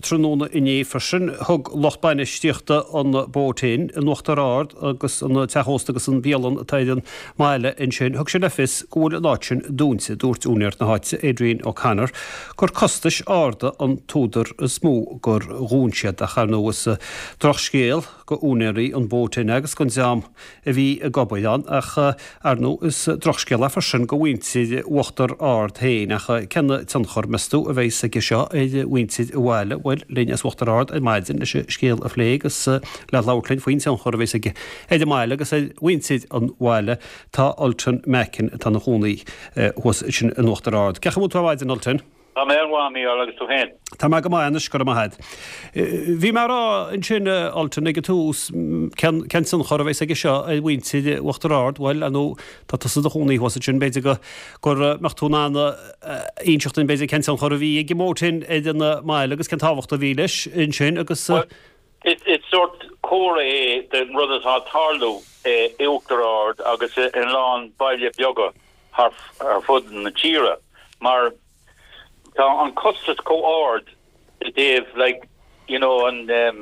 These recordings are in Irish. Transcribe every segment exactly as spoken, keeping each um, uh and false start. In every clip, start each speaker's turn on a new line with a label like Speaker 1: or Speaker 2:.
Speaker 1: tráthnóna inné freisin, thug lucht bainistíochta an Boat Inn in Uachtar Ard agus an teach ósta agus an bhialann atá ar an mbaile ansin, thug sé le fios go bhfuil an áit sin dúnta. Dúirt úinéir na háite, Adrian O'Connor, gur costais arda an t-údar is mó gur dhún siad. Ach ar ndóigh is drochscéal go úinéirí an Boat Inn agus don dream a bhí ag obair ann ach ar ndóigh is drochscéal é freisin go mhuintir Uachtar Ard féin. Ach cén tionchar, meas tú, a bheas aige seo ar mhuintir an bhaile? Bhuel, linn as Uachtar Ard ar maidin leis an scéal a phlé agus le labhairt linn faoin tionchar a bheas aige ar an mbaile agus ar mhuintir an bhaile tá Ultan Mackin atá ina chónaí thuas ansin in Uachtar Ard. Cén chaoi a bhfuil tú ar maidin, Ultan?
Speaker 2: Tá mé an-mhaith, a Mhícheáil, agus tú féin?
Speaker 1: Tá mé go maith anois, go raibh maith agat. Bhí mé ag rá ansin, Ultan, ag an tús, cén cén tionchar a bheas aige seo ar mhuintir Uachtar Ard? Bhuel, ar ndóigh, tá tusa i do chónaí thuas ansin, b'fhéidir go gur mbeadh tú in ann inseacht dúinn, b'fhéidir, cén tionchar a bhí ag an mBoat Inn ar an mbaile agus cén tábhacht a bhí leis ansin agus.
Speaker 2: Bhuel, is is sórt comhartha é den rud atá ag tarlú i Uachtar Ard agus in a lán baile beaga thar ar fud na tíre mar tá an costas chomh ard i dtaobh like you know an um,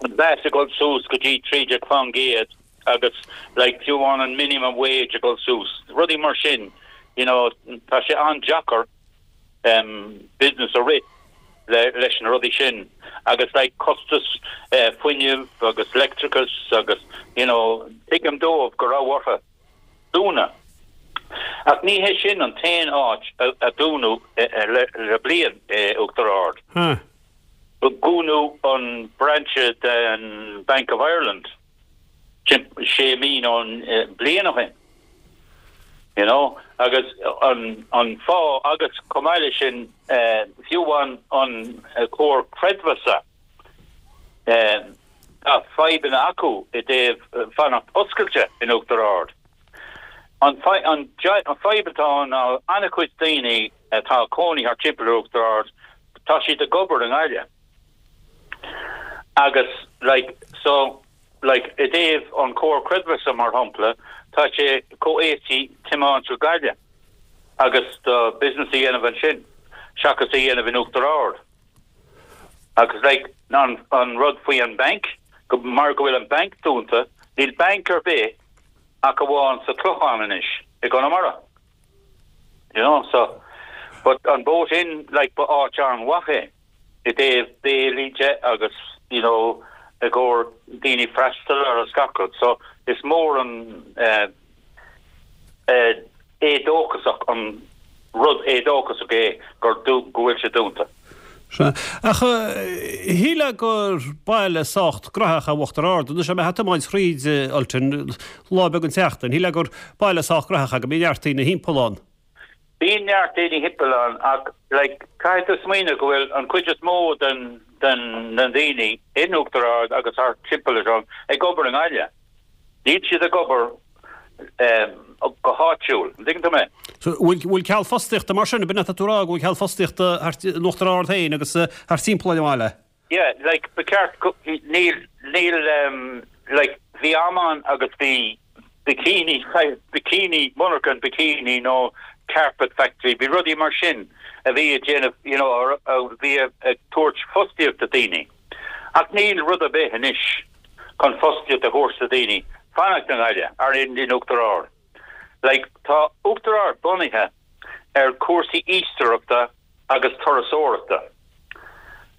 Speaker 2: an VAT ag dul suas go dtí trí déag faoin gcéad agus like fiú amháin an minimum wage ag dul suas, rudaí mar sin, you know, tá sé an-deacair um, business a rith le, leis na rudaí sin agus like costas uh, fuinnimh agus leictreachas agus you know, tuigim dóibh go raibh orthu dúnadh. Ach ní hé sin an t-aon áit a dúnadh le bliain i Uachtar Ard. Dúnadh an brainse den Bank of Ireland sé mí nó bliain ó shin. You know, agus an, an fáth agus chomh maith leis sin fiú amháin an comhar creidmheasa tá fadhbanna acu i dtaobh fanacht oscailte in Uachtar Ard. An fadhb atá ann ná an-chuid daoine atá ag cónaí thart timpeall ar Uachtar Ard, tá siad ag obair i nGaillimh. Agus like so like i dtaobh an comhar creidmheasa mar shampla, tá sé chomh éasca tiomáint go Gaillimh agus do business a dhéanamh ansin seachas a dhéanamh in Uachtar Ard. Agus like an an rud faoi an banc, go mar go bhfuil an banc dúnta, níl banc ar bith ach amháin sa Chlochán anois i gConamara. You know, so but an Boat Inn like ba áit an-mhaith é i dtaobh béilí de agus you know i gcomhair daoine freastal ar agus gach rud. So is mór an uh, uh, éadóchasach an rud éadóchasach é gur go bhfuil sé dúnta.
Speaker 1: Sea. Ach shílfeá gur baile sách graitheach é Uachtar Ard. Anois mé ag tiomáint thríd Ultan lá beag an tseachtain. Shílfeá gur baile sách graitheach é go mbíonn neart daoine thimpeall ann.
Speaker 2: Bíonn neart daoine thimpeall ann ach like caithfidh tú smaoineamh go bhfuil an chuid is mó den den na daoine in Uachtar Ard agus thart timpeall air ag obair i nGaillimh. Níl siad ag obair go háitiúil. An dtuigeann tú mé?
Speaker 1: So bhfuil bhfuil ceal fostaíochta mar sin, b'in atá tú a rá, go bhfuil ceal fostaíochta thart in Uachtar Ard féin agus thart timpeall ar an mbaile?
Speaker 2: Yeah, like ba cheart go níl níl um, like bhí am ann agus bhí bikini bikini monarcha bikini nó carpet factory, bhí rudaí mar sin a bhí ag déanamh you know a bhí ag tabhairt fostaíocht do daoine. Ach níl rud ar bith anois chun fostaíocht a thabhairt do daoine fanacht i nGaillimh ar in in Uachtar Ard. Like tá Uachtar Ard bunaithe ar cúrsaí iascaireachta agus turasóireachta.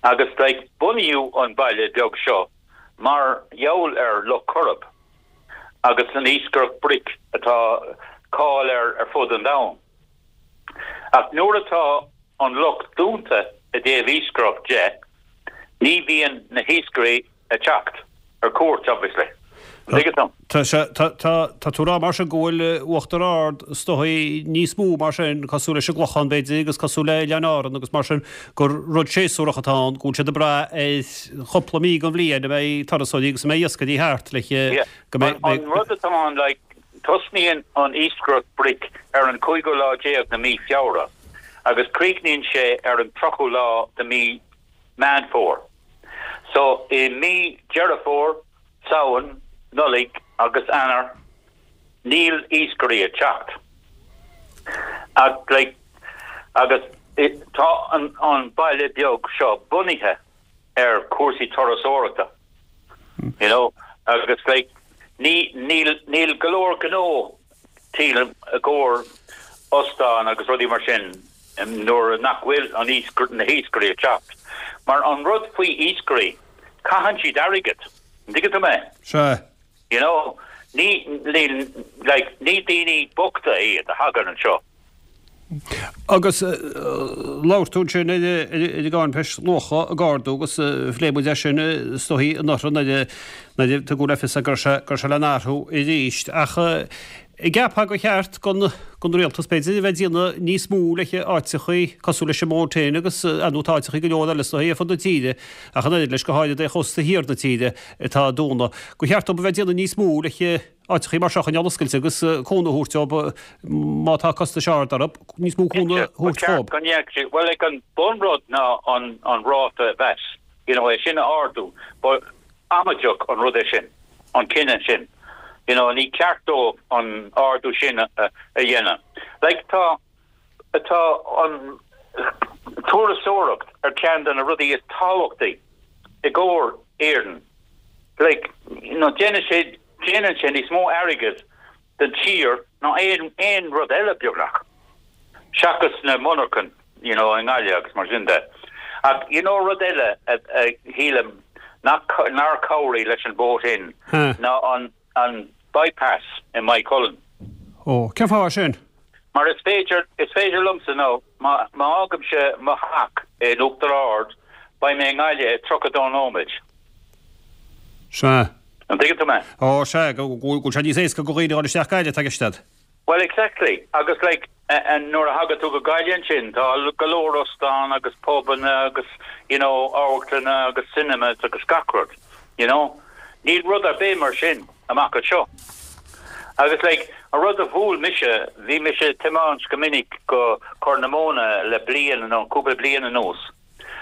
Speaker 2: Agus like bunaíodh an baile beag seo mar gheall ar Loch Coirib agus an iascaireacht bric atá cáil air ar fud an domhain. Ach nuair atá an loch dúnta i dtaobh iascaireacht de, ní bhíonn na hiascairí ag teacht ar cuairt, obviously. An dtuigeann tú?
Speaker 1: Tá sé, tá, tá, tá tú a rá mar sin go bhfuil Uachtar Ard is dóigh níos mó mar sin, cosúil leis an gClochán b'fhéidir agus cosúil le Oileáin Árann agus mar sin, gur rud séasúrach atá ann, go bhfuil siad ag brath ar chúpla mí den bhliain a mbeidh turasóirí agus a mbeidh iascairí thart le
Speaker 2: Yeah.
Speaker 1: go mbeidh,
Speaker 2: An, an rud atá ann, like, tosnaíonn an iascaireacht bric ar an cúigiú lá déag de mí Feabhra agus críochnaíonn sé ar an tríochú lá de mí Meán Fómhair. So i mí Deireadh Fómhair, Samhain, Nollaig agus Eanáir níl iascairí ag teacht. Ach like agus tá an, an baile beag seo bunaithe ar cúrsaí turasóireachta. You know, agus like ní níl níl go leor gnó sílim i gcomhair óstán agus rudaí mar sin nuair nach bhfuil an na hiascairí ag teacht. Mar an rud faoi iascairí caitheann siad airgead. Tuigeann tú mé?
Speaker 1: Sea.
Speaker 2: You know, ní ní like ní daoine bochta iad a thagann anseo.
Speaker 1: Agus labhair tú sin i gcáinpéis luacha a gardú agus phléigh muid é sin stoí an nuair a tugadh le fios gur gur sé le n-athrú arís ach an gceapfá gur cheart don don rialtas b'fhéidir a bheith ag déanamh níos mó le áiteachaí cosúil leis an mBoat Inn agus nó tá áiteachaí go leor eile sna fud na tíre ach an oiread leis go háirithe de chósta thiar na tíre atá dúnta. Gur cheart dóibh a bheith ag déanamh níos mó le áiteachaí mar seo a choinneáil oscailte agus cúnamh a thabhairt dóibh má tá costais arda orthu níos mó cúnamh a thabhairt dóibh.
Speaker 2: Go ndéanfaidh well like an bunrud ná an an ráta bheas you know é sin a ardú but amaideach an rud é sin an cinneadh sin. You know, ní ceart dóibh an ardú sin a, a, a dhéanamh. Like tá tá an turasóireacht ar ceann de na rudaí is tábhachtaí i gcomhair Éireann. Like you know, déanann sé déanann sé níos mó airgead don tír ná aon aon rud eile beagnach. Seachas na monarchana, you know, i nGaillimh agus mar sin de. Ach you know rud eile a shílim nach nár chabhraigh leis an Boat Inn ná an an bypass i Maigh Cuilinn.
Speaker 1: Ó, cén fáth sin?
Speaker 2: Mar is féidir is féidir liomsa nó má má fhágaimse mo theach in Uachtar Ard beidh mé i nGaillimh i tríocha dó nóiméad.
Speaker 1: Sea.
Speaker 2: An dtuigeann tú mé?
Speaker 1: Ó sea go bhfuil sé níos éasca do dhaoine dul isteach Gaillimh tá
Speaker 2: Well exactly agus like an nuair a thagann tú go Gaillimh sin tá go leor óstán agus pubanna agus you know amharclanna agus cinemas agus gach rud you know níl rud ar bith mar sin amach anseo agus like an rud a bhuail mise bhí mise ag tiomáint go minic go Corr na Móna le bliain nó cúpla bliain anuas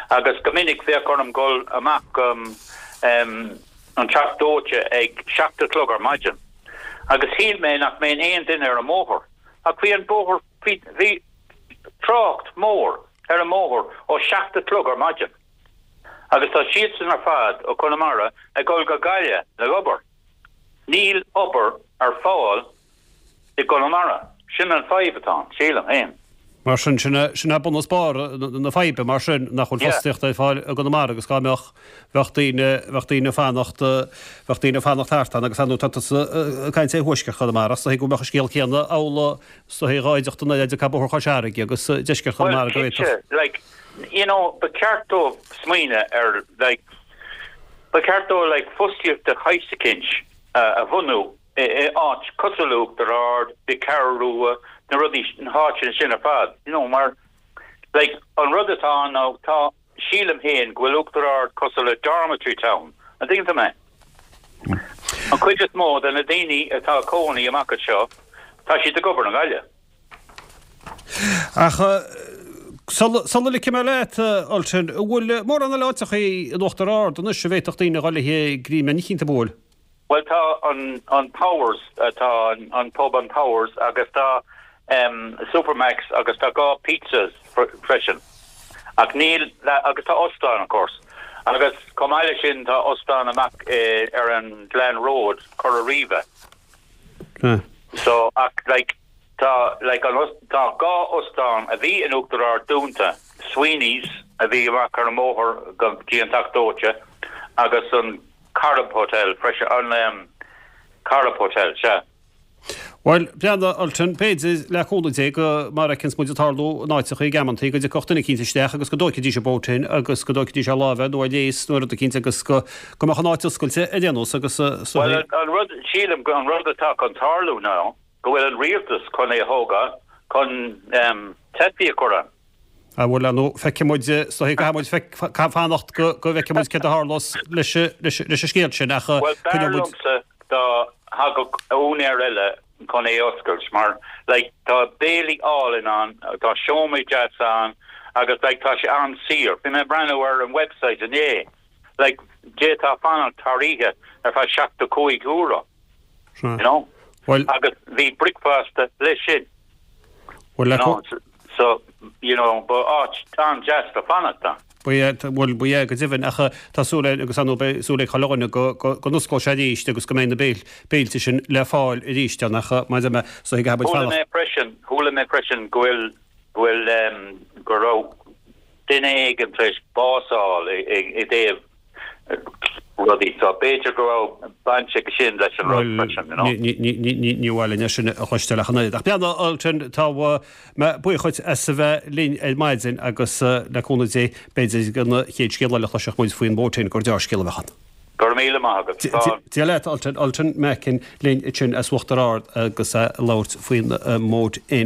Speaker 2: agus go minic bheadh orm dul amach um, um, an Teach Dóite ag seacht a chlog ar maidin agus shíl mé nach mbeadh aon duine ar an mbóthar ach bhí an bóthar bhí trácht mór ar an mbóthar ó seacht a chlog ar maidin. Agus tá siad san ar fad ó Chonamara ag dul go Gaillimh le obair. Níl obair ar fáil i gConamara. Sin an fadhb atá sílim féin.
Speaker 1: Mar sin sin sin é bunús barr na faidhbe mar sin nach bhfuil fostaíocht ar fáil i gConamara agus go mbeadh bheadh daoine bheadh daoine fanacht bheadh daoine fanacht thart ann agus anú tá caint é thuaisceart Chonamara so go mbeadh an scéal céanna amhlaidh so gáideachta na de Cabthir Choisarige agus deisceart Chonamara go
Speaker 2: bhféadfadh. Like you know ba cheart dóibh smaoineamh ar like ba cheart dóibh like fostaíocht de shaghas eicínt a bhunú i áit cosúil le Uachtar Ard, an Cheathrú Rua, na rudaí na háiteanna sin ar fad. You know, mar like an rud atá ná tá sílim féin go bhfuil Uachtar Ard cosúil le dormitory town. An dtuigeann tú mé? An chuid is mó de na daoine atá ina gcónaí amach anseo, tá siad ag obair i nGaillimh.
Speaker 1: Ach Sula ligfidh mé leat Ultan, bhfuil mórán eile áiteachaí in Uachtar Ard anois a bhféadfadh daoine dul le greim eicínt a bhualadh.
Speaker 2: Well tá an an Powers tá an, an pub an Powers agus tá um, Supermax agus tá dhá pizzas freisin. Ach níl agus tá óstán of course. Agus chomh maith leis sin tá óstán amach eh, ar an Glen Road Cora Riva.
Speaker 1: Hmm.
Speaker 2: So ach like tá like an tá dhá óstán a bhí in Uachtar Ard dúnta Sweeney's a bhí amach ar an mbóthar go dtí an Teach Dóite agus an Carib Hotel freisin an um, Carib Hotel sea.
Speaker 1: Well breathnaigh Ultan b'fhéidir le cúnamh Dé go mar a fheiceanns muid ag tarlú in áiteachaí ag amantaí go dtiocfadh duine eicínt isteach agus go dtógfaidís an Boat Inn agus go dtógfaidís ar láimh nó ar léas nó rud eicínt agus go go mbeadh an áit oscailte ar aon nós agus
Speaker 2: Well an rud sílim go an rud atá chun tarlú ná go bhfuil an rialtas chun é a thógáil chun um, teifigh a chur ann.
Speaker 1: A bhfuil nó feicfidh muid so caithfidh muid fanacht go go bhfeicfidh muid céard a tharlós leis leis leis an scéal sin ach
Speaker 2: Well b'fhearr liomsa dá thagadh úinéir eile chun é oscailt mar like tá béilí álainn ann tá seomraí deas ann agus like tá sé an-saor. Bhí mé breathnú ar an website inné like d'fhéadfá fanacht thar oíche ar feadh seachtó cúig euro. You know?
Speaker 1: Well
Speaker 2: agus bhí bricfeasta leis sin.
Speaker 1: Well
Speaker 2: you know, so you know ba áit an-deas le fanacht ann.
Speaker 1: Ba ea, bhuel, ba ea go deimhin, ach tá súil againn agus ar ndóigh beidh súil ag chuile dhuine go, go, go n-osclóidh sé arís agus go mbeidh na béil, béilte sin le fáil arís ann ach mar a deir mé, so caithfidh muid
Speaker 2: Chuala
Speaker 1: fanacht.
Speaker 2: mé freisin, chuala mé freisin go bhfuil, go bhfuil, em, go raibh duine éigin tar éis bás a fháil i, i, i dtaobh rudaí so b'fhéidir go raibh baint aige sin leis an rud freisin, you know.
Speaker 1: Ní, ní, ní, ní, ní mhaith linn é sin a chloisteáil ach an oiread. Ach breathnaigh, Ultan, tá mé buíoch dhuit as a bheith linn ar maidin agus le cúnamh Dé b'fhéidir an chéad scéal eile a chloisfeadh muid faoin Boat Inn gur deá-scéal a bheadh ann.
Speaker 2: Go raibh míle maith agat.
Speaker 1: Dia leat, Ultan, Ultan Mackin linn ansin as Uachtar Ard agus a labhairt faoin mBoat Inn.